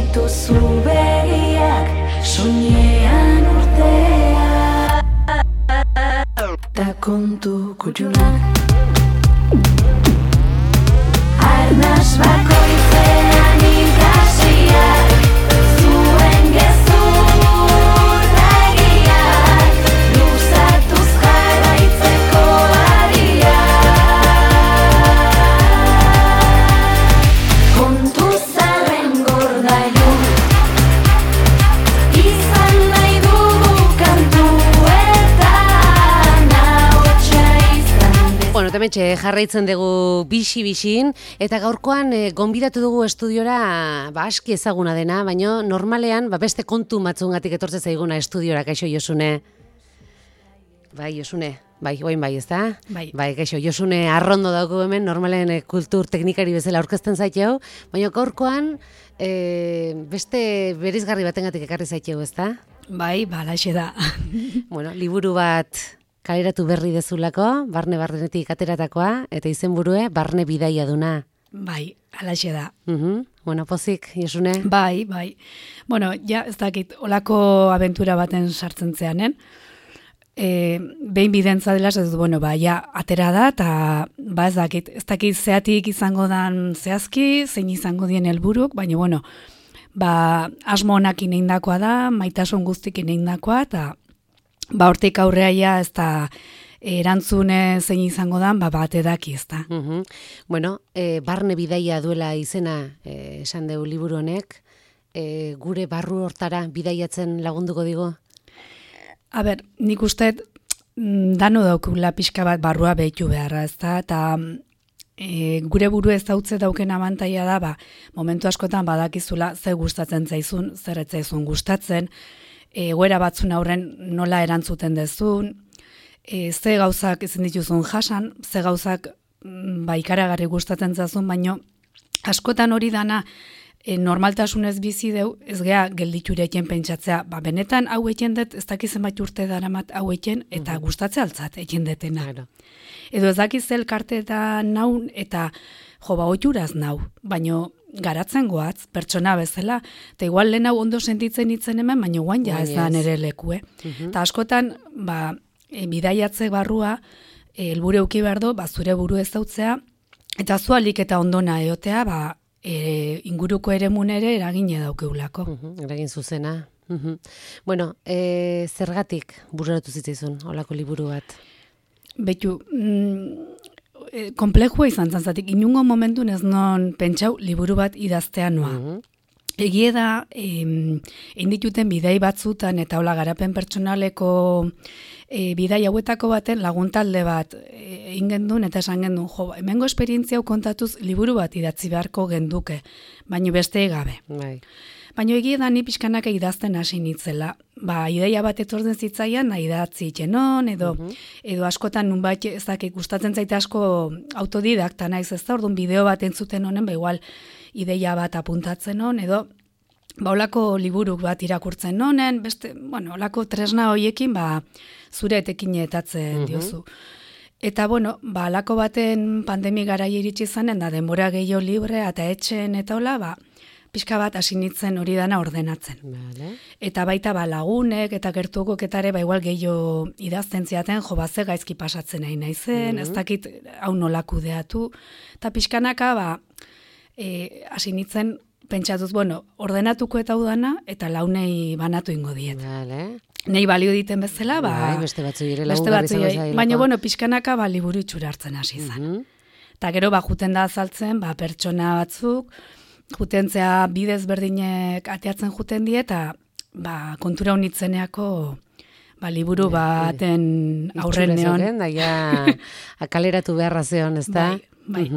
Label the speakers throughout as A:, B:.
A: dituzu begiak, soinean urtea. Ta kontu kutxunak. Arnas bakoitzean ikasiak, zuen gezurregiak, luzatuz jarraitzeko ariak. Kontu zarren gordailun, izan nahi dugu kantuetan, ahotsa izan dezan.
B: Bueno, temetxe jarraitzen dugu bixi-bixin, eta gaurkoan gonbidatu dugu estudiora aski ezaguna dena, baina normalean beste kontu matzungatik etortze zaiguna estudiora, kaixo Josune. Bai, Josune, oin bai, ezta?
C: Bai.
B: Bai, kaixo, Josune arrondo dauko hemen, normalen kultur teknikari bezala aurkezten zaiteu, baina gaurkoan beste berizgarri batengatik ekarri zaiteu, ezta?
C: Bai, balaxe da.
B: Bueno, liburu bat kaleratu berri dezulako, barnetik ateratakoa, eta izenburue barne bidaia duna.
C: Bai, alaxe da.
B: Bueno, pozik, Josune?
C: Bai. Bueno, ja, ez dakit, olako abentura baten sartzen zeanen. Behin bidentza dela, ez bueno, ja, atera da, eta ez dakit zeatik izango dan zehazki, zein izango dien helburuk, baina, bueno, asmo honak ineindakoa da, maitasun guztik ineindakoa, eta hortik aurrea ja, ez da erantzune zein izango dan, bat edaki, ez da.
B: Bueno, barne bidaia duela izena esan deu liburu honek, gure barru hortara bidaiatzen lagunduko digo?
C: A ber, nik uste dano daukula pixka bat barrua behitu beharra, ez da, eta gure buru ez dautze dauken abantaia da, momentu askotan badakizula ze gustatzen zaizun, zer ez zaizun gustatzen, egoera batzun aurren nola erantzuten dezun, ze gauzak ezin dituzun jasan, ze gauzak ikaragarri gustatzen zazun, baino askotan hori dana normaltasunez bizi deu, ez gea gelditurekin pentsatzea, benetan hau eken dut, ez dakizen bat urte daramat hau eken, eta gustatzea altzat eken detena. Edo ez dakiz elkarte eta naun, eta oituraz nau, baino garatzen goatz, pertsona bezala, eta igual lehen hau ondo sentitzen itzen hemen, baina guan ja ez da nere leku, Eta askotan, bidaiatze barrua, helburu euki behar du, zure buru ez dautzea, eta zualik eta ondona eotea, inguruko eremun ere eragine daukeulako.
B: Eragin zuzena. Bueno, zergatik bururatu zitzaizun, olako liburu bat?
C: Betu, komplejua izan zantzatik, inungo momentun ez non pentsau liburu bat idaztea noa. Egie da, indituten bidei batzutan eta hola garapen pertsonaleko bidai hauetako baten laguntalde bat egin gendun eta esan gendun, hemengo esperientzia hau kontatuz liburu bat idatzi beharko genduke, baino beste gabe. Baina egie da ni pixkanaka idazten hasi nitzela. Ideia bat etortzen zitzaian, idatzi itxenon, edo askotan nunbait ez dakit gustatzen zaite asko autodidakta naiz, ez da, orduan bideo bat entzuten honen, igual ideia bat apuntatzen hon, edo olako liburuk bat irakurtzen honen, beste, olako tresna hoiekin, zure etekinetatzen diozu. Eta, alako baten pandemi garai iritsi zanen, da denbora gehiago libre, eta etxen, eta hola, pixka bat hasi nintzen hori dana ordenatzen. Eta baita lagunek eta gertukok eta ere igual gehiago idazten ziaten, ze gaizki pasatzen nahi naizen, ez dakit hau nola kudeatu. Eta pixkanaka hasi nintzen pentsatuz, ordenatuko eta udana eta launei banatu ingo diet. Nei balio diten bezala,
B: beste batzu ere lagungarri zaila.
C: Baina, pixkanaka liburu itxura hartzen hasi zen. Eta gero, juten da azaltzen, pertsona batzuk, jutentzea bidez berdinek ateatzen juten die, eta kontura honitzeneako liburu baten aurren neon.
B: Akaleratu beharra zeon, ez da?
C: Bai.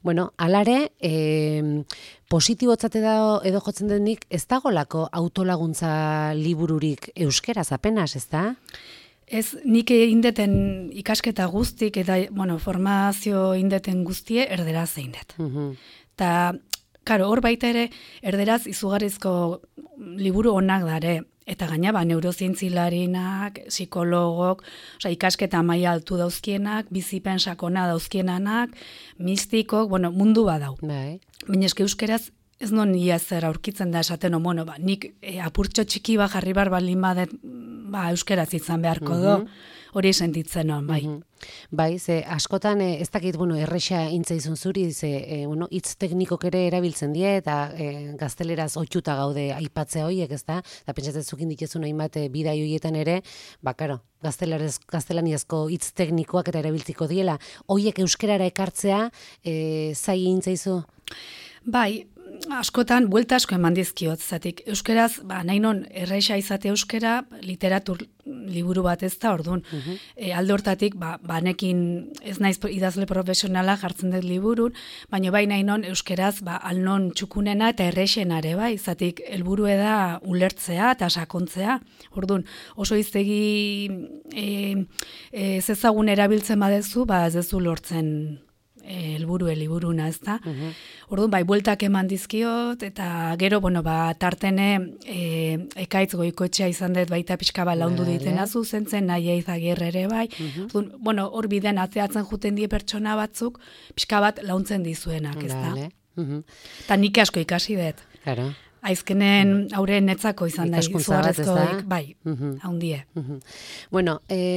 B: Bueno, alare, positibotzate da edo jotzen denik, ez dagolako autolaguntza libururik euskeraz apenas, ez da?
C: Ez, nik indeten ikasketa guztik, eta formazio indeten guztie erderaz zein dut. Eta, hor baita ere, erderaz izugarrizko liburu onak dare, eta gaina neurozientzilarinak, psikologok, ikasketa maila altu dauzkienak, bizipen sakona dauzkienanak, mistikok, mundu badau. Baina euskeraz ez non ia zer aurkitzen da esaten, bueno, nik apurtxo txiki jarri bar balin badet, euskeraz izan beharko do, hori sentitzen non, bai.
B: Bai, ze askotan ez dakit, erresa intzaizun zuri, ze hitz teknikok ere erabiltzen die eta gazteleraz ohituta gaude aipatzea horiek, ezta? Eta pentsatzen zukin dituzun hainbat bidai horietan ere, karo, gaztelaniazko hitz teknikoak eta erabiltziko diela. Horiek euskerara ekartzea zai intzaizu?
C: Bai, askotan buelta asko eman dizkiot, zatik euskeraz, nahi non erresa izate euskera, literatur liburu bat ez da, orduan. Alde hortatik, banekin ez naiz idazle profesionala jartzen dut liburun, baina bai nahi non euskeraz, alnon txukunena eta erresenare, bai, zatik helburu da ulertzea eta sakontzea. Orduan, oso iztegi ez ezagun erabiltzen badezu, ez dezu lortzen liburuna, ez da. Orduan, bai, bueltak eman dizkiot, eta gero, tartene Ekaitz Goikoetxea izan dut baita pixka laundu ditena zuzentzen, nahi Eizaguirre ere bai. Orduan, hor biden atzeatzen juten die pertsona batzuk, pixka bat launtzen dizuenak, ez da. Eta nik asko ikasi dut.
B: Claro.
C: Aizkenen aurre netzako izan da, izugarrezkoik, bai, haundie.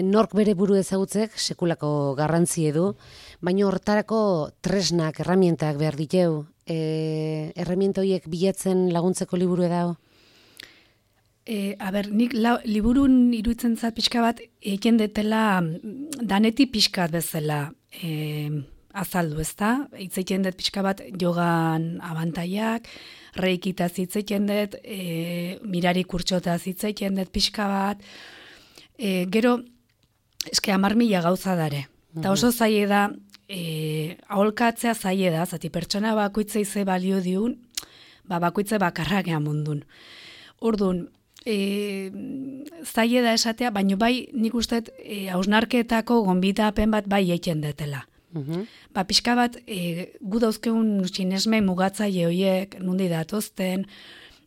B: Nork bere buru ezagutzek sekulako garrantzi edu, baina hortarako tresnak, erramientak behar diteu, erramienta horiek bilatzen laguntzeko liburu edao?
C: Nik liburun iruditzen zat pixka bat, egin detela daneti pixkat bezala azaldu, ez da? Itzeiten dut pixka bat jogan abantaiak, reikitaz hitzeiten dut, mirari kurtsotaz hitzeiten dut pixka bat, gero, eske 10.000 gauza dare. Eta oso zaie da, aholkatzea zaie da, zati pertsona bakoitzei ze balio diun, bakoitze bakarragean mundun. Orduan, zaie da esatea, baina bai nik uste hausnarketako gonbidapen bat bai eiken detela. Pixka bat, gu dauzkeun sinesme mugatzaile horiek, nundi datozten,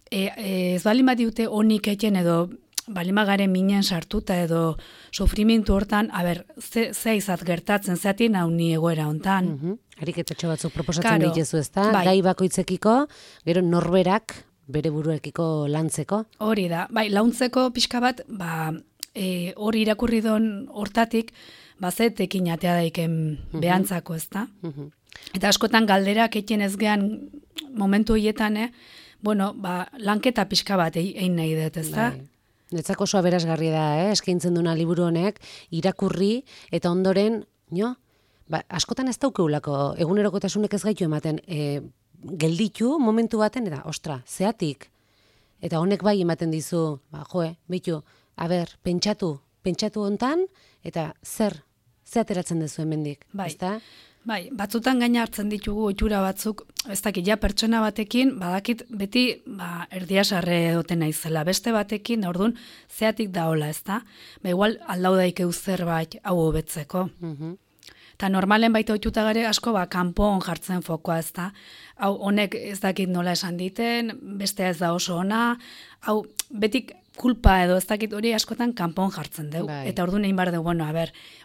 C: ez balin bat diute honik eken edo balima garen minen sartuta edo sufrimintu hortan, ze izat gertatzen, zeatin hau ni egoera hontan.
B: Ariketatxo batzuk proposatzen dituzu, ez da? Gai bakoitzekiko, gero norberak bere buruekiko lantzeko. Hori
C: da, launtzeko pixka bat, hori irakurri don hortatik, bazetekin atea daiken behantzako, ez da? Eta askotan galderak eken ez gehan momentu horietan, lanketa pixka bat egin nahi dut, ez da?
B: Netzako oso aberasgarria da, eskaintzen duna liburu honek, irakurri, eta ondoren, askotan ez daukeulako, egunerokotasunek ez gaitu ematen, gelditu momentu baten, eta, zeatik, eta honek bai ematen dizu, bitu, pentsatu hontan, eta zer ateratzen dezu hemendik, ezta?
C: Bai, batzutan gaina hartzen ditugu ohitura batzuk, ez dakit, pertsona batekin, badakit beti erdiasarre edoten naizela, beste batekin, orduan, zeatik da hola, ez da? Igual aldau daikeu zerbait hau hobetzeko. Eta normalen baita ohituta gare asko kanpon jartzen fokoa, ez da? Hau, honek ez dakit nola esan diten, bestea ez da oso ona, hau, betik kulpa edo ez dakit hori askotan kanpon jartzen dugu. Eta orduan egin behar dugu,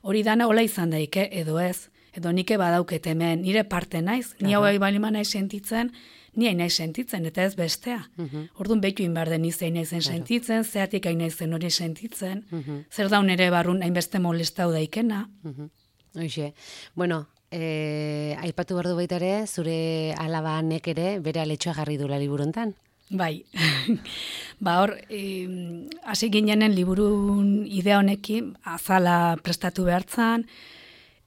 C: hori dana hola izan daike, edo ez? Edo nike badauket hemen, nire parte naiz, ni hau balima nahi sentitzen, ni hain nahi sentitzen, eta ez bestea. Orduan behitu inbar den izan naizen sentitzen, zeatik hain naizen hori sentitzen, zer daun ere barrun hainbeste molestau daikena.
B: Hoxe, aipatu behar du baita ere, zure alabanek ere bere aletxoa jarri dula liburuntan.
C: Bai, hor, hasi ginenen liburun idea honekin, azala prestatu behartzan,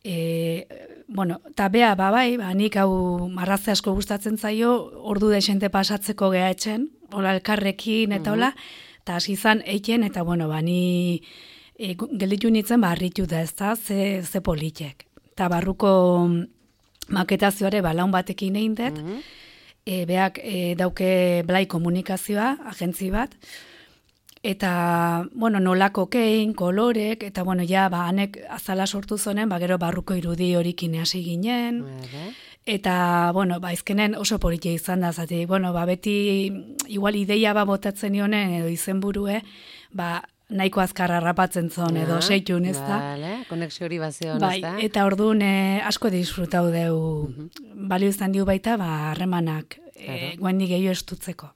C: eta bea, nik hau marraze asko gustatzen zaio, ordu desente pasatzeko geha etxen, hola elkarrekin eta hola, eta hasi izan eiken, eta ni gelditu nintzen harritu da ez da, ze politek. Eta barruko maketazioare laun batekin egin dut, beak dauke Blai komunikazioa, agentzi bat, eta, nolako kein, kolorek, eta, hanek azala sortu zonen, gero barruko irudi horikin hasi ginen, eta, izkenen oso politia izan da, zati, beti, igual ideia botatzen nionen, edo izenburue, nahiko azkar harrapatzen zon edo seitun, ez da?
B: Vale, konexio hori bazeon,
C: Bai,
B: ez da?
C: eta orduan asko disfrutau deu, balio izan diu baita, harremanak guendik gehiago estutzeko.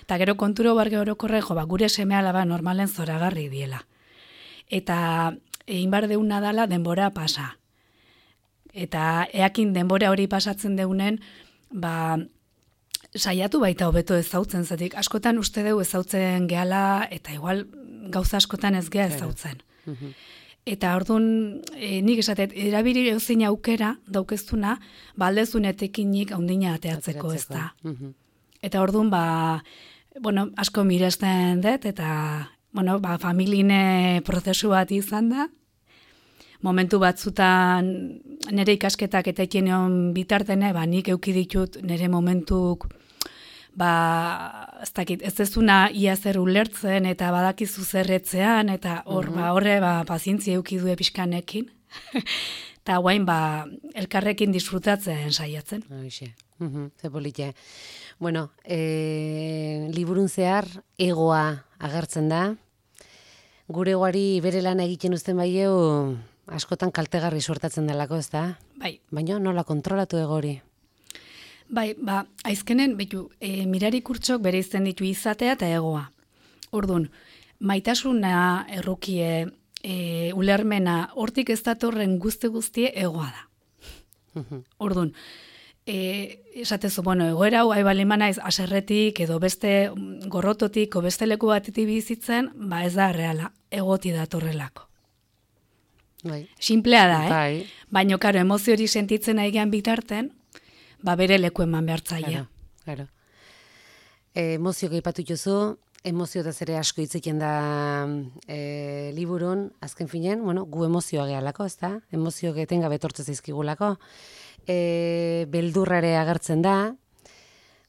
C: Eta gero konturo barge orokorre, gure seme alaba normalen zoragarri diela. Eta egin bar deuna dala denbora pasa. Eta eakin denbora hori pasatzen deunen, saiatu baita hobeto ezautzen, zetik askotan uste deu ezautzen gehala, eta igual gauza askotan ez gea ezautzen. Eta orduan, nik esatet, erabili euzin aukera daukeztuna, aldezun etekinik haundina ateatzeko ez da. Eta orduan, asko miresten dut, eta familine prozesu bat izan da. Momentu batzutan nire ikasketak eta ekineon bitartene, nik euki ditut nire momentuk, ez dakit, ez ezuna ia zer ulertzen eta badakizu zerretzean, eta horre pazientzia euki du pixkanekin. Eta guain, elkarrekin disfrutatzen saiatzen.
B: Hoxe, ze polite. Bueno, liburun zehar egoa agertzen da. Gure egoari bere lana egiten uzten baieu, askotan kaltegarri suertatzen delako, ez da?
C: Bai.
B: Baina nola kontrolatu egori?
C: Bai, aizkenen, mirari kurtsok bere izten ditu izatea eta egoa. Orduan, maitasuna errukie, ulermena, hortik ez datorren guztie egoa da. Orduan, esatezu, egoera hau baliman naiz aserretik edo beste gorrototik o beste leku batetik bizitzen, ez da reala, egoti datorrelako.
B: Bai.
C: Simplea da,
B: Bai.
C: Baina, karo, emozio hori sentitzen aigean bitarten, bere leku eman behartzaia.
B: Claro. Emozio gaipatu jozu, emozio da zere asko hitzekin da liburun, azken finean, gu emozioa gehalako, ez da? Emozio getenga betortze zaizkigulako. Beldurrare agertzen da,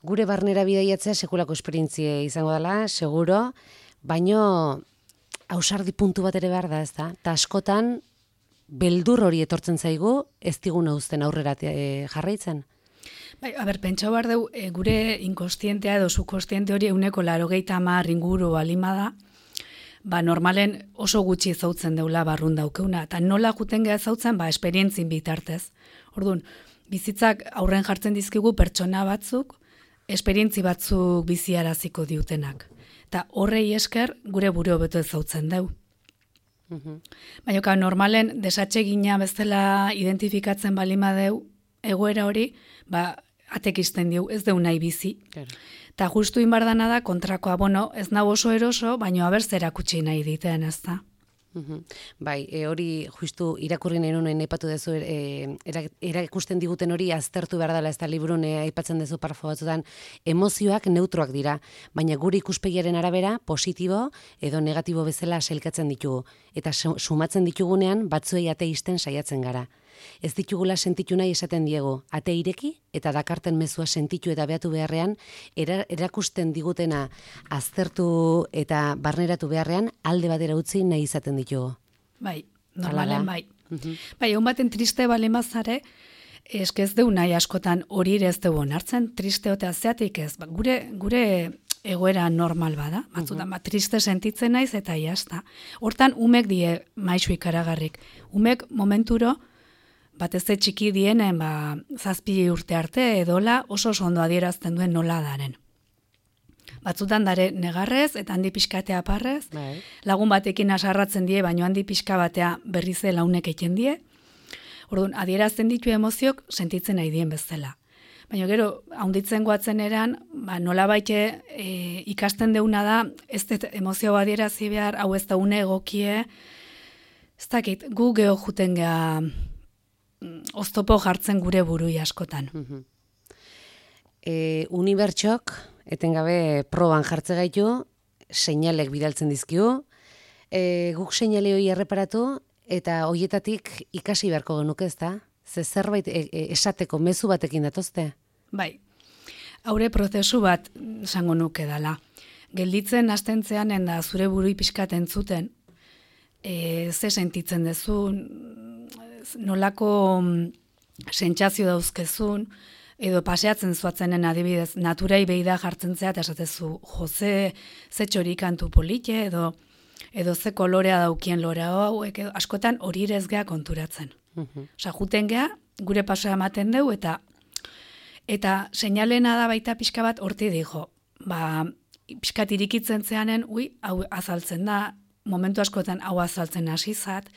B: gure barnera bidaiatzea sekulako esperientzie izango dela, seguro, baino ausardi puntu bat ere behar da, ez da? Ta askotan, beldur hori etortzen zaigu, ez diguna uzten aurrera jarraitzen.
C: Bai, pentsau behar deu, gure inkostientea edo subkostiente hori 180 inguru balima da, normalen oso gutxi ezautzen deula barrun daukeuna, eta nola juten geha ezautzen, esperientzin bitartez. Orduan, bizitzak aurren jartzen dizkigu pertsona batzuk, esperientzi batzuk biziaraziko diutenak. Eta horrei esker gure buru hobeto ezautzen deu. Baina, normalen desatsegina bezala identifikatzen balima deu, egoera hori, atekisten diu, ez deu nahi bizi. Eta justu inbardana da, kontrakoa, ez nago oso eroso, baina abertzera kutsi nahi diten, ez da.
B: Bai, hori justu irakurri nahi nuen aipatu dezu, erakusten diguten hori aztertu behar dela, ez da liburun aipatzen dezu parafo batzutan, emozioak neutroak dira, baina gure ikuspegiaren arabera positibo edo negatibo bezala sailkatzen ditugu, eta sumatzen ditugunean batzuei ateisten saiatzen gara. Ez ditugula sentitu nahi esaten diegu, ate ireki eta dakarten mezua sentitu eta behatu beharrean, erakusten digutena aztertu eta barneratu beharrean, alde batera utzi nahi izaten ditugu.
C: Bai, normalen bai. Bai, egun baten triste balemazare, ez deu nahi askotan hori ere ez deu onartzen, triste otea zeatik ez, gure egoera normal bada, batzutan, triste sentitzen naiz eta jazta. Hortan, umek die maisu ikaragarrik. Umek momenturo, batez txiki dienen, 7 urte arte edola oso ondo adierazten duen nola daren. Batzutan dare negarrez eta handi pixkatea parrez, lagun batekin asarratzen die, baino handi pixka batea berrize launek eken die. Orduan, adierazten ditu emoziok sentitzen nahi dien bezala. Baina gero, haunditzen goatzen eran, nola baite ikasten deuna da, ez emozio adierazi behar, hau ez da une egokie, ez dakit, gu geho juten geha oztopo jartzen gure burui askotan.
B: Unibertsok, etengabe proban jartze gaitu, seinalek bidaltzen dizkiu, guk seinale hori erreparatu, eta hoietatik ikasi beharko genuke, ez da? Zerbait esateko mezu batekin datozte?
C: Bai, haure prozesu bat esango nuke dala. Gelditzen hastentzean da zure burui pixkat entzuten, ze sentitzen dezun, nolako sentsazio dauzkezun, edo paseatzen zuatzenen adibidez, naturai beida jartzen zea, eta esatezu, Jose, ze txori kantu polite, edo edo ze kolorea daukien lora hauek, edo askotan hori ere ez gea konturatzen. Osa, juten gea, gure pasoa ematen dugu, eta seinalena da baita pixka bat horti dijo. Pixkat irikitzen zeanen, hau azaltzen da, momentu askotan hau azaltzen hasi zat.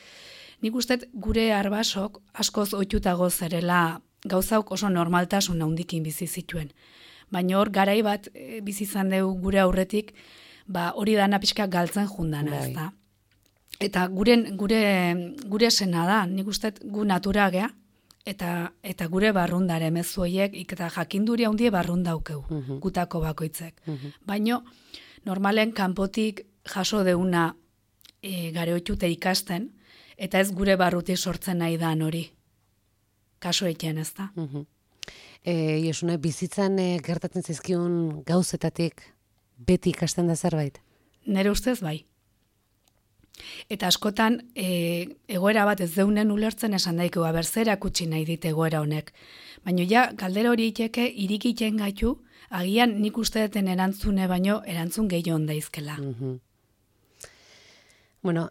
C: Nik uste gure arbasok askoz ohitutago zerela gauzauk oso normaltasun handikin bizi zituen. Baina hor garai bat bizi izan dugu gure aurretik, hori dana pixka galtzen jundana, ez da. Eta gure sena da, nik uste gu natura gea, eta gure barrundare mezu horiek, eta jakinduri handie barrundaukeu, gutako bakoitzek. Baina normalen kanpotik jaso deuna gareotute ikasten, eta ez gure barruti sortzen nahi da hori. Kaso eken, ez da?
B: Josune, bizitzan gertatzen zaizkion gauzetatik beti ikasten da zerbait?
C: Nere ustez bai. Eta askotan egoera bat ez deunen ulertzen esan daiko, berzera kutsi nahi dit egoera honek. Baina ja, galdera hori iteke irikiten gaitu, agian nik uste deten erantzune baino erantzun gehiago ondaizkela.
B: Bueno,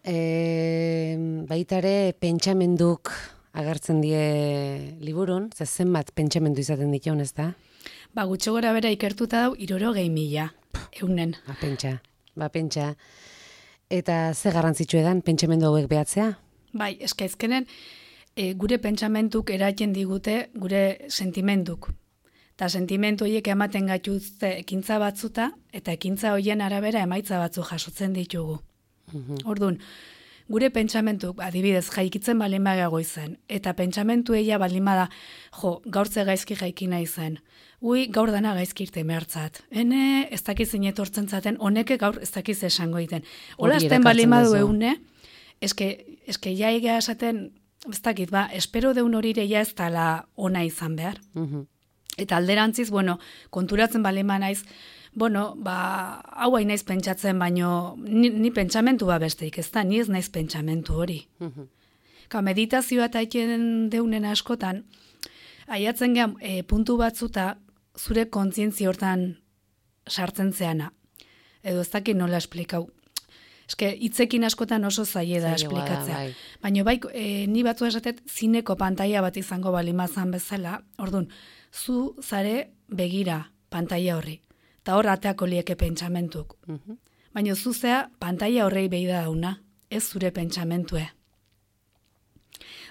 B: baitare pentsamenduk agertzen die liburun, zenbat pentsamendu izaten dituen, ez da?
C: Gutxo gora bera ikertuta dau, 60.000 eunen.
B: Pentsa. Eta ze garrantzitsu edan pentsamendu hauek behatzea?
C: Bai, eskaizkenen gure pentsamentuk eratzen digute gure sentimenduk. Eta sentimendu horiek ematen gaituzte ekintza batzuta, eta ekintza horien arabera emaitza batzu jasotzen ditugu. Orduan, gure pentsamentuk, adibidez, jaikitzen balin bagago izan, eta pentsamentu eia balin bada, gaurtze gaizki jaiki nahi zen, gaur dana gaizki irte mehartzat. Ez dakiz inetortzen zaten, honeke gaur ez dakiz esango iten. Hola azten balin badu eune, eske ja egia esaten, ez dakit, espero deun horire ja ez dala ona izan behar. Eta alderantziz, konturatzen balin ba naiz, hau hain naiz pentsatzen, baino ni pentsamentu besteik, ez da, ni ez naiz pentsamentu hori. Meditazioa eta egiten deunen askotan, aiatzen gehan puntu batzuta zure kontzientzi hortan sartzen zeana. Edo ez dakit nola esplikau. Eske, hitzekin askotan oso zaie da esplikatzea. Baina ni batzu esatet zineko pantaila bat izango balimazan bezala, orduan, zu zare begira pantaila horri. Eta hor ateako lieke pentsamentuk. Baina zuzea pantaila horrei behi da dauna, ez zure pentsamentue.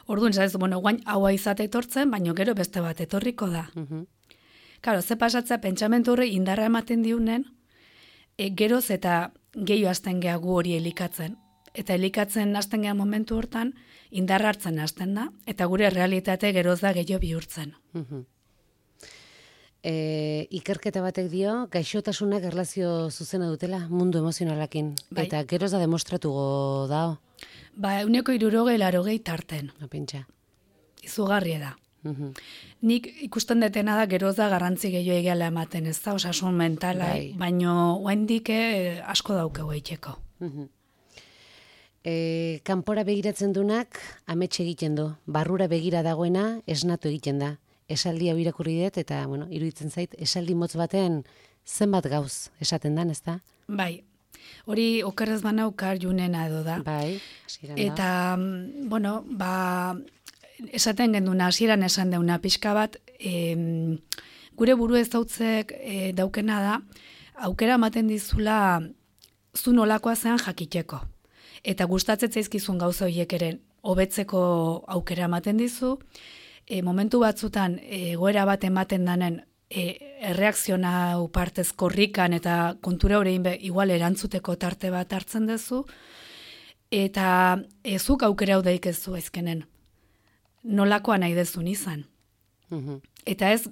C: Orduan, guain haua izate etortzen, baina gero beste bat etorriko da. Karo, ze pasatzea pentsamentu horrei indarra ematen diunen, geroz eta gehiago hasten geha gu hori elikatzen. Eta elikatzen hasten geha momentu hortan, indarra hartzen hasten da, eta gure realitate geroz da gehiago bihurtzen.
B: Ikerketa batek dio, gaixotasunak erlazio zuzena dutela mundu emozionalakin. Eta geroz da demostratuko dao.
C: 160 tarten.
B: Pentsa.
C: Izugarria da. Nik ikusten detena da geroz da garrantzi gehiago egiala ematen, ez da, osasun mentala, baino oendik asko daukegu eiteko.
B: Kanpora begiratzen dunak amets egiten du. Barrura begira dagoena esnatu egiten da. Esaldi hau irakurri dut, eta, iruditzen zait, esaldi motz baten zenbat gauz esaten dan, ez da?
C: Bai, hori okerrez bana ukar junena edo da.
B: Bai,
C: eta, esaten genduna, hasieran esan deuna, pixka bat, gure buru ez dautzek daukena da, aukera ematen dizula zu nolakoa zean jakiteko. Eta gustatzen zaizkizun gauza horiek ere hobetzeko aukera ematen dizu, momentu batzutan egoera bat ematen danen erreakziona partez korrikan eta kontura horrein igual erantzuteko tarte bat hartzen duzu, eta zuk aukera hau daikezu ezkenen. Nolakoa nahi dezun izan. Eta ez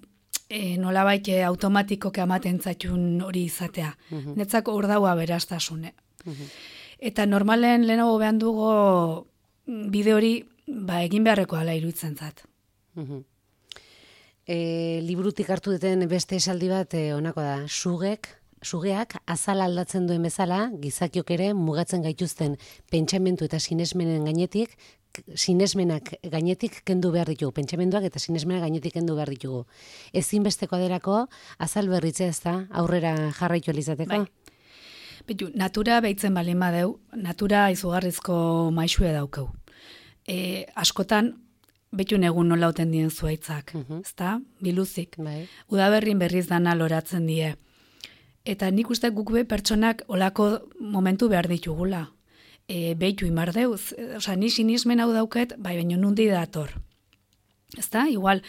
C: nolabait automatikoke amaten zaitun hori izatea. Netzako hor daua berastasune. Eta normalen lehenago behan dugu bide hori egin beharreko ala iruditzen zat.
B: Liburutik hartu duten beste esaldi bat honako da. Sugeak azala aldatzen duen bezala, gizakiok ere mugatzen gaituzten pentsamendu eta sinesmenak gainetik kendu behar ditugu. Pentsamenduak eta sinesmenak gainetik kendu behar ditugu. Ezinbesteko aderako azal berritzea, ez da, aurrera jarraitu elizateko?
C: Bitu, natura behitzen balin badeu, natura izugarrizko maixue daukeu. Askotan, betun egun nola oten dien zuaitzak, ezta? Biluzik.
B: Bai.
C: Udaberrin berriz dana loratzen die. Eta nik uste guk be pertsonak olako momentu behar ditugula. Behitu imardeuz, ni sinismen hau dauket, bai, baino nundi dator. Ezta? Igual,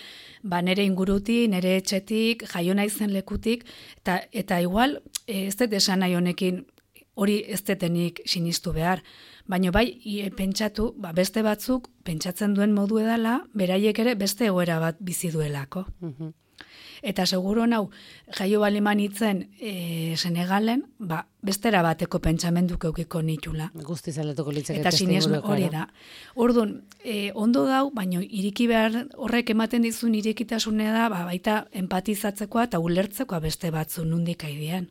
C: nere ingurutik, nere etxetik, jaio naizen lekutik, eta igual, ez dut esan nahi honekin hori ez detenik sinistu behar. Baina bai, pentsatu, beste batzuk pentsatzen duen modu edala, beraiek ere beste egoera bat bizi duelako. Eta seguro nau, jaio baliman itzen Senegalen, bestera bateko pentsamenduk eukiko nitula.
B: Guztiz aldatuko litzake
C: Eta sinesmen hori da. Orduan, ondo dau, baina iriki behar horrek ematen dizun irekitasune da, baita empatizatzekoa eta ulertzekoa beste batzu nundik aidean.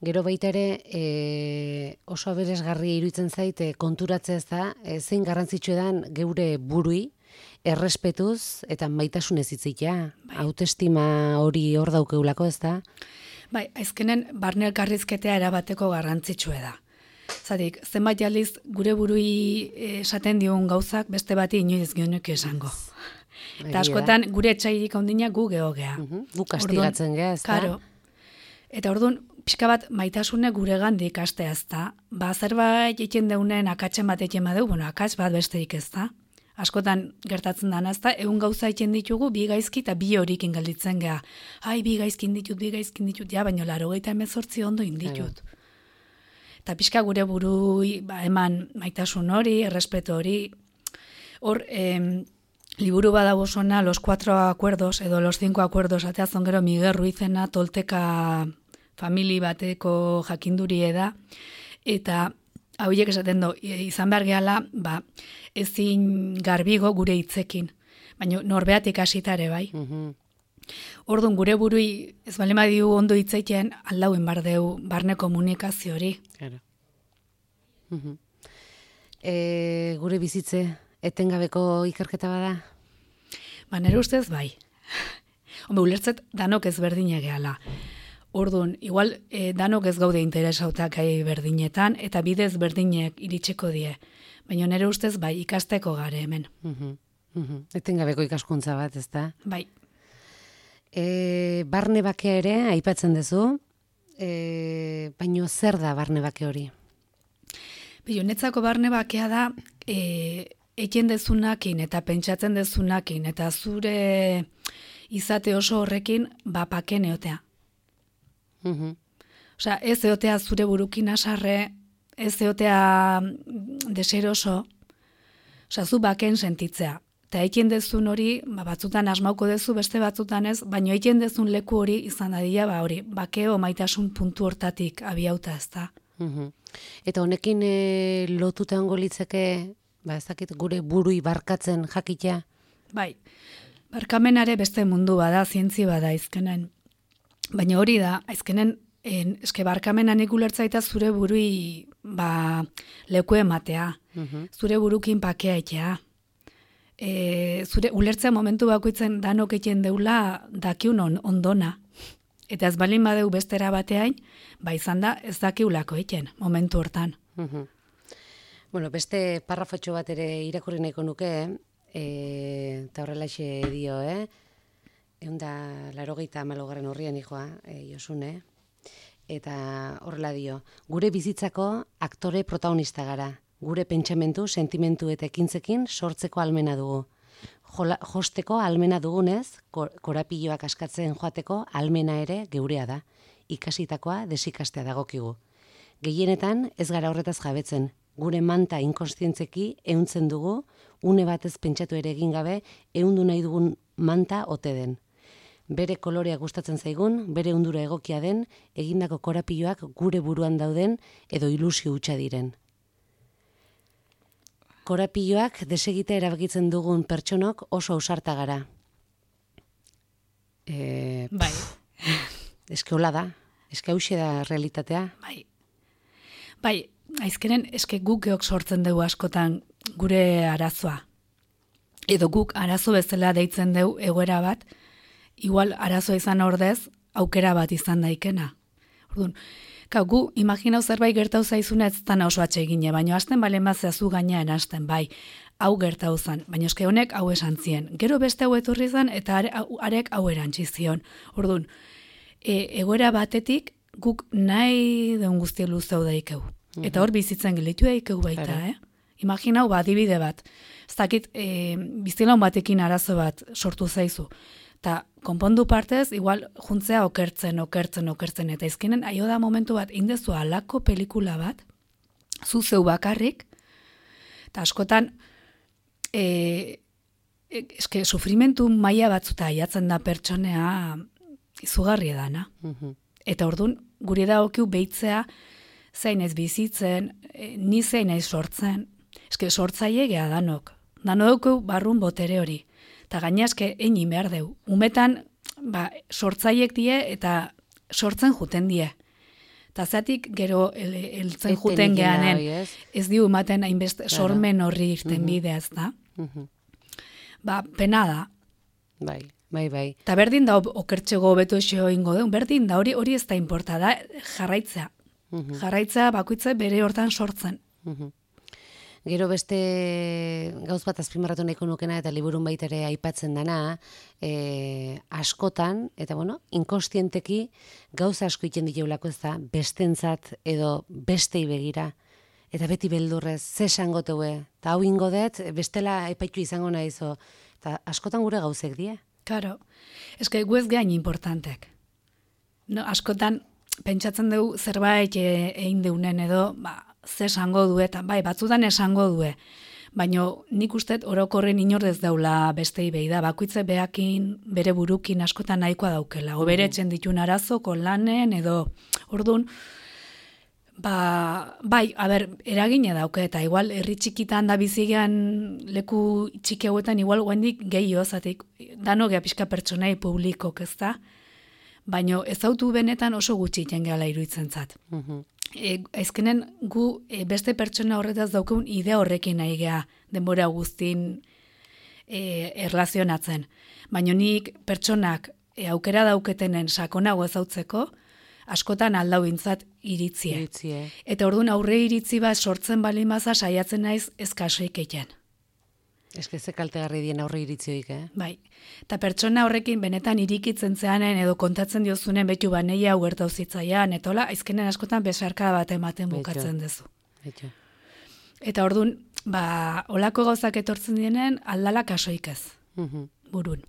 B: Gero baita ere oso aberesgarria iruditzen zaite konturatzea ez da, zein garrantzitsu edan geure burui, errespetuz eta maitasunez hitzitea. Autoestima hori hor daukeulako ez da?
C: Bai, azkenen barne elkarrizketea erabateko garrantzitsue da. Zatik, zenbait aldiz gure burui esaten digun gauzak beste bati inoiz gionek esango. Eta askotan gure etxairik handina gu geogea.
B: Gu kastigatzen gea ez da?
C: Karo. Eta orduan, pixka bat maitasune gure gandik astea ez da. Zerbait egiten deunen akatsen bat egiten badeu, akats bat besteik ez da. Askotan gertatzen dana ez da, egun gauza egiten ditugu, bi gaizki eta bi horikin galditzen gea. Bi gaizkin ditut, ja, baina 98 ondo inditut. Eta pixka gure burui eman maitasun hori, errespeto hori. Hor, liburu badago zona, los 4 acuerdos, edo los 5 acuerdos, ateazon gero Miguel Ruizena, tolteka famili bateko jakindurie da, eta hauiek esaten du, izan behar gehala, ezin garbigo gure hitzekin, baina norbeatik hasitare bai. Orduan gure burui ez balema diu ondo hitzeiten aldauen bardeu barne komunikazio hori.
B: Claro. Gure bizitze etengabeko ikerketa bada?
C: Nere ustez bai. Ulertzet danok ez berdine gehala. Orduan, igual danok ez gaude interesautak gai berdinetan, eta bidez berdinek iritsiko die. Baina nere ustez bai, ikasteko gare hemen.
B: Etengabeko ikaskuntza bat, ez da?
C: Bai.
B: Barne bakea ere, aipatzen duzu, baina zer da barne bake hori?
C: Netzako barne bakea da, eken dezunakin eta pentsatzen dezunakin, eta zure izate oso horrekin bapaken eotea. Ez eotea zure burukin asarre, ez eotea deseroso, zu baken sentitzea. Eta eiken dezun hori, batzutan asmauko dezu, beste batzutan ez, baina eiken dezun leku hori izan dadila, hori, bakeo maitasun puntu hortatik abiauta ez da.
B: Eta honekin lotuta ongo litzeke, ez dakit, gure burui barkatzen jakitea?
C: Bai, barkamenare beste mundu bada, zientzi bada izkenen. Baina hori da, azkenen, eske barkamenan ikulertzaita zure burui leku ematea, zure burukin pakea etea. Zure ulertzea momentu bakoitzen danok egiten deula dakiun ondona. Eta ez balin badeu bestera bateain, izan da ez dakiulako egiten momentu hortan.
B: Beste parrafotxo bat ere irakurri nahiko nuke, eta horrelaxe dio, 180 horrian ijoa, Josune, eta horrela dio, gure bizitzako aktore protagonista gara, gure pentsamentu, sentimentu eta ekintzekin sortzeko almena dugu. Josteko almena dugunez, korapilloak askatzen joateko almena ere geurea da, ikasitakoa desikastea dagokigu. Gehienetan ez gara horretaz jabetzen, gure manta inkonstientzeki ehuntzen dugu, une batez pentsatu ere egin gabe, ehundu nahi dugun manta ote den. Bere kolorea gustatzen zaigun, bere undura egokia den, egindako korapilloak gure buruan dauden edo ilusio hutsa diren. Korapilloak desegite erabakitzen dugun pertsonok oso ausarta gara.
C: Bai.
B: Eske hola da, eske hauxe da realitatea.
C: Bai, aizkenen eske guk geok sortzen dugu askotan gure arazoa. Edo guk arazo bezala deitzen dugu egoera bat, igual arazoa izan ordez, aukera bat izan daikena. Orduan, gu, imaginau zerbait gertau zaizuna ez zan oso atsegine, baina hasten balen bazeazu gainean hasten, bai, hau gertau zan, baina eske honek hau esan zien. Gero beste hau etorri zan, eta arek hau erantzi zion. Orduan, egoera batetik, guk nahi deun guzti luzeu daikeu. Eta hor bizitzen gelitu daikeu baita, Imaginau, adibide bat. Ez dakit, bizilaun batekin arazo bat sortu zaizu. Ta konpondu partez, igual juntzea okertzen, eta izkenen aio da momentu bat, indezu alako pelikula bat, zu zeu bakarrik, eta askotan, eske sufrimentu maila batzuta aiatzen da pertsonea izugarri edana. Eta orduan, guri da okiu behitzea, zain ez bizitzen, ni zain ez sortzen, eske sortzaile gea danok. Danok barrun botere hori. Eta gaina eske egin behar deu. Umetan, sortzaiek die eta sortzen juten die. Eta zatik gero eltzen juten geanen, ez diu ematen hainbeste sormen horri irten bidea ez da. Pena da.
B: Bai.
C: Eta berdin da okertxego beto esio ingo deun, berdin da hori ez da inporta da jarraitzea. Jarraitzea bakoitza bere hortan sortzen.
B: Gero beste gauz bat azpimarratu nahiko nukena eta liburun baita ere aipatzen dana, askotan, eta inkostienteki gauza asko iten diteulako ez da, bestentzat edo bestei begira. Eta beti beldurrez, ze esango teue, eta hau ingo dut, bestela epaitu izango nahizo. Eta askotan gure gauzek die.
C: Karo, eske gu ez gain importantek. No, askotan, pentsatzen dugu zerbait egin deunen edo, ze esango du, eta batzutan esango due. Baina nik uste orokorren inordez daula bestei behi da, bakoitze behakin, bere burukin askotan nahikoa daukela. O bere etxen ditun arazoko lanen edo, orduan, eragine dauke, eta igual herri txikitan da bizigean leku txiki hauetan igual guendik gehiago, zatik dano gea pixka pertsonai publikok ez da, baina ezautu benetan oso gutxi jengeala iruditzen zat. Ezkenen gu beste pertsona horretaz daukeun idea horrekin nahi gea denbora guztin erlazionatzen. Baina nik pertsonak aukera dauketenen sakonago ezautzeko, askotan aldau bintzat iritzie. Eta orduan aurre iritzi bat sortzen balin baza saiatzen naiz ezkasoik egin.
B: Eske ze kaltegarri dien aurre iritzioik,
C: Bai. Eta pertsona horrekin benetan irikitzen zeanen edo kontatzen diozunen betu baneia hau gertau zitzaian, eta hola, aizkenen askotan besarka bat ematen bukatzen dezu. Eta orduan, holako gauzak etortzen dienen aldala kasoik ez, burun.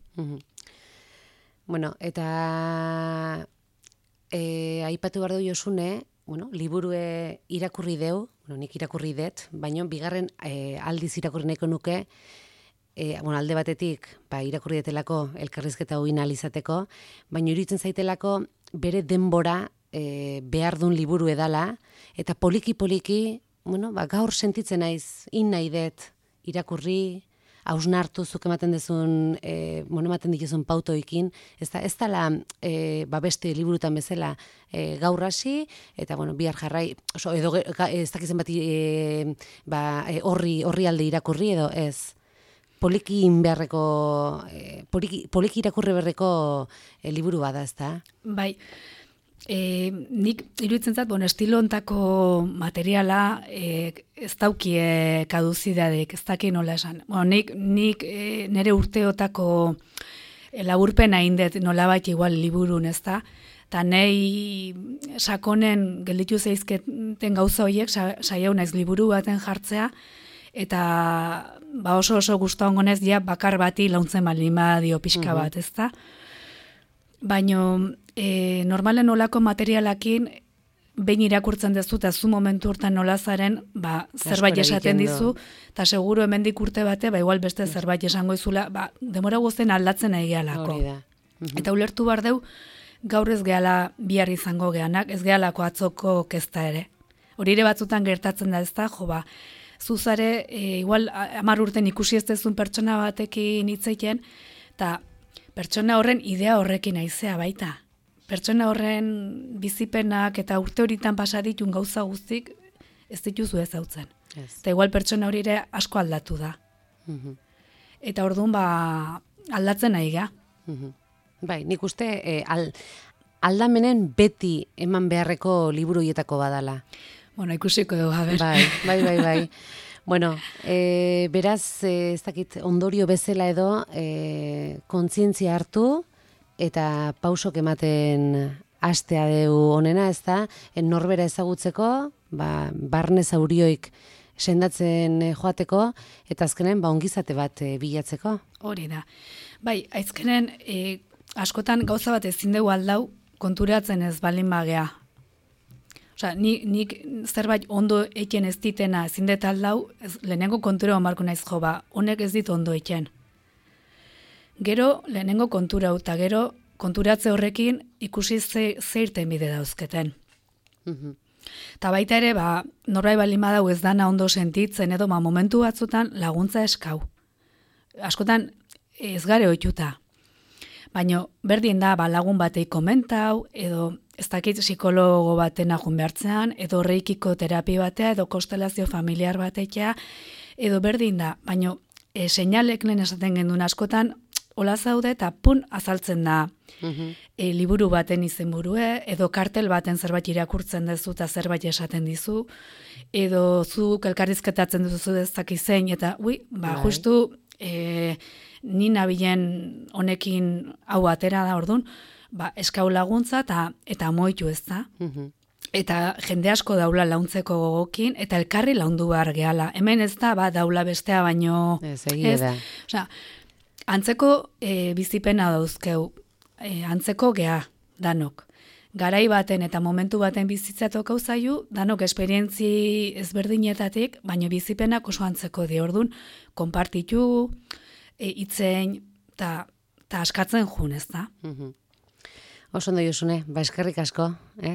B: Eta aipatu behar du Josune, liburue irakurri deu, nik irakurri dut, baina bigarren aldiz irakurri nahiko nuke, alde batetik irakurri detelako elkarrizketa hogin alizateko, baina iruditzen zaitelako bere denbora behar duen liburu edala, eta poliki-poliki, gaur sentitzen naiz, nahi dut irakurri, hausnartu zuk ematen dezun, ematen dituzun pautoikin, ez dala beste liburutan bezala gaur hasi, eta bihar jarrai, edo ez dakizen bat horri alde irakurri edo ez. Poliki irakurri berreko liburu bada, ez da? Bai.
C: Nik iruditzen zat, estilo ontako materiala ez daukie kaduzidadek, ez daki nola esan. Nik nire urteotako laburpena indet nolabait igual liburun, ez da? Eta nahi sakonen gelditu zeizketen gauza horiek saiau naiz liburu baten jartzea, eta oso guztu ongonez bakar bati launtzen balima dio pixka bat, ez da? Baina normalen olako materialakin behin irakurtzen dezu, eta zu momentu hortan nolazaren zerbait esaten dizu, eta seguru hemendik urte bate, igual beste zerbait esango izula, demora guztien aldatzen nahi gehalako. Eta ulertu behar deu, gaur ez gehala bihar izango gehanak, ez gehalako atzoko kezta ere. Hori ere batzutan gertatzen da ez da, zuzare, igual 10 urten ikusi ez dezun pertsona batekin hitzeiten, eta pertsona horren idea horrekin aizea baita. Pertsona horren bizipenak eta urte horitan pasaditun gauza guztik ez dituzu ezautzen. Eta igual pertsona hori ere asko aldatu da. Eta orduan aldatzen nahi ga.
B: Bai, nik uste aldamenen beti eman beharreko liburu hietako badala.
C: Bueno, ikusiko dugu, a ber.
B: Bai. Bueno, beraz, ez dakit, ondorio bezala edo, kontzientzia hartu eta pausok ematen hastea deu honena, ez da, norbera ezagutzeko, barne zaurioik sendatzen joateko, eta azkenen ongizate bat bilatzeko.
C: Hori da. Bai, aizkenen, askotan gauza bat ezin dugu aldau konturatzen ez balin bagea. Osea, nik zerbait ondo eken ez ditena ezin dut aldau, lehenengo kontura onbarko naiz jo, honek ez dit ondo eken. Gero, lehenengo kontura eta gero, konturatze horrekin ikusi zeirten bide dauzketen. Eta baita ere, norbait balin badau ez dana ondo sentitzen edo, momentu batzutan laguntza eskau. Askotan ez gare ohituta. Baina berdin da, lagun batei komentau, edo ez dakit psikologo baten ajun behartzean, edo reikiko terapia batea, edo konstelazio familiar batekia, edo berdin da, baina seinalek lehen esaten gendun askotan, hola zaude eta azaltzen da liburu baten izenburue, edo kartel baten zerbait irakurtzen duzu eta zerbait esaten dizu, edo zuk elkarrizketatzen duzu ez dakizein, eta justu ni nabilen honekin hau atera da ordun, eskau laguntza eta moitu ez da. Eta jende asko daula launtzeko gogokin, eta elkarri laundu behar gehala. Hemen ez da, daula bestea baino...
B: Ez, egia da.
C: Osea, antzeko bizipena dauzkeu, antzeko gea, danok. Garai baten eta momentu baten bizitzatok hau zaiu, danok esperientzi ezberdinetatik, baino bizipenak oso antzeko di ordun, konpartitu, itzein, eta askatzen jun, ez da?
B: Oso ondo Josune, eskerrik asko,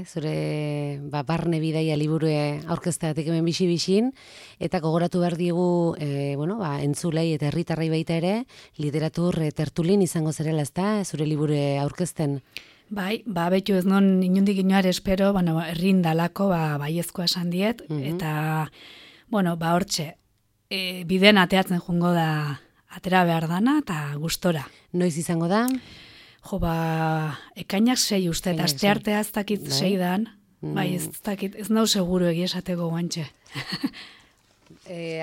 B: zure barne bidaia liburue aurkezteatik hemen bixi-bixin, eta gogoratu behar digu, entzulei eta herritarrei baita ere, literatur tertulin izango zerela, ez da, zure liburue aurkezten?
C: Bai, betu ez non inundik inoar espero, herrin dalako, baiezkoa esan diet, eta, hortxe, biden ateatzen jungo da, atera behar dana, eta gustora.
B: Noiz izango da?
C: Jo, ekainak 6 uste, eta aste artea ez dakit 6 dan, ez dakit, ez nau seguru egiesateko guantxe.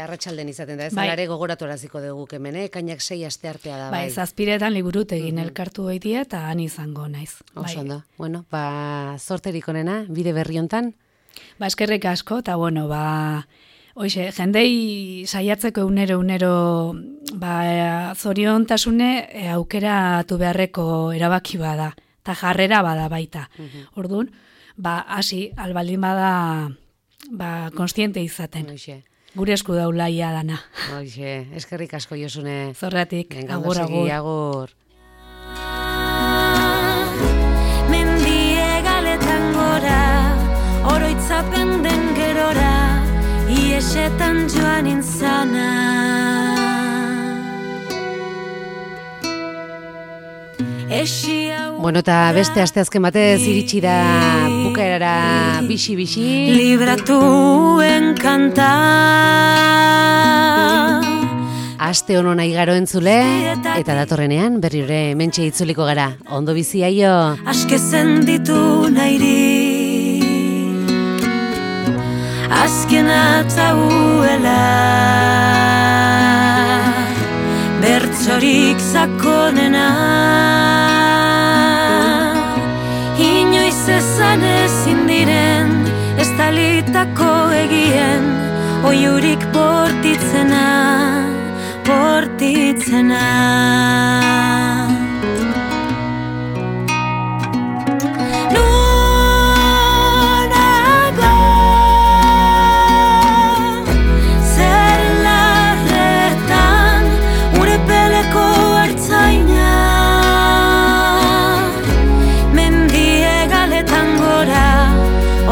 B: Arratsalden izaten da, ez alare gogoratu araziko dugu hemen, ekainak 6 aste artea da, bai.
C: Zazpiretan liburut egin elkartu goitia, eta han izango naiz.
B: Oso ondo, zorterik onena, bide berri hontan?
C: Eskerrik asko, eta hoxe, jendei saiatzeko unero, zoriontasune aukeratu beharreko erabaki bada, eta jarrera bada baita. Orduan, hasi albaldin bada, konstiente izaten. Gure esku daulaia dana.
B: Hoxe, eskerrik asko Josune.
C: Zorratik, agur.
A: Mendie galetan gora, oroitzapen den gerora, iesetan joan intzana.
B: Eta beste asteazken batez iritsi da bukaerara bixi-bixi.
A: Libratuen kanta.
B: Aste hono nahi garo entzule, eta datorrenean berrire mentxe itzuliko gara. Ondo bizi aio.
A: Askezen ditu nairi. Azkena tauela, bertzorik zakonena, inoiz ezan ezin diren, ez talitako egien, oiurik bortitzena.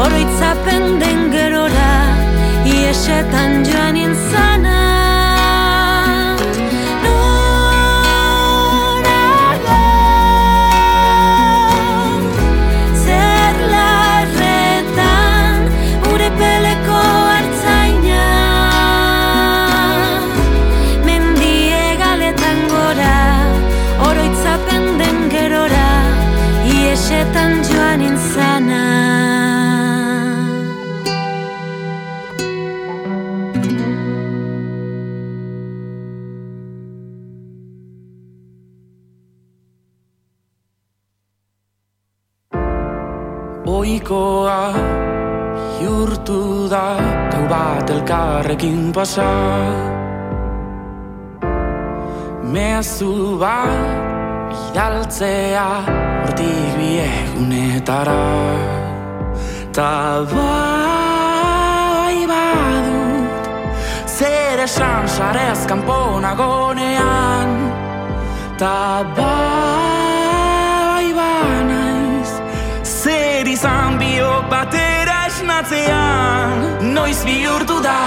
A: Oroitzapen den gerora, iesetan joan intzana. Nora Iesetan joan intzana.
D: Oikoa bihurtu da gau bat elkarrekin pasa, mezu bat bidaltzea hortik bi egunetara. Ta bai badut zer esan sarez kanpo nagonean, ta bai banaiz zer izan biok batera esnatzean. Noiz bihurtu da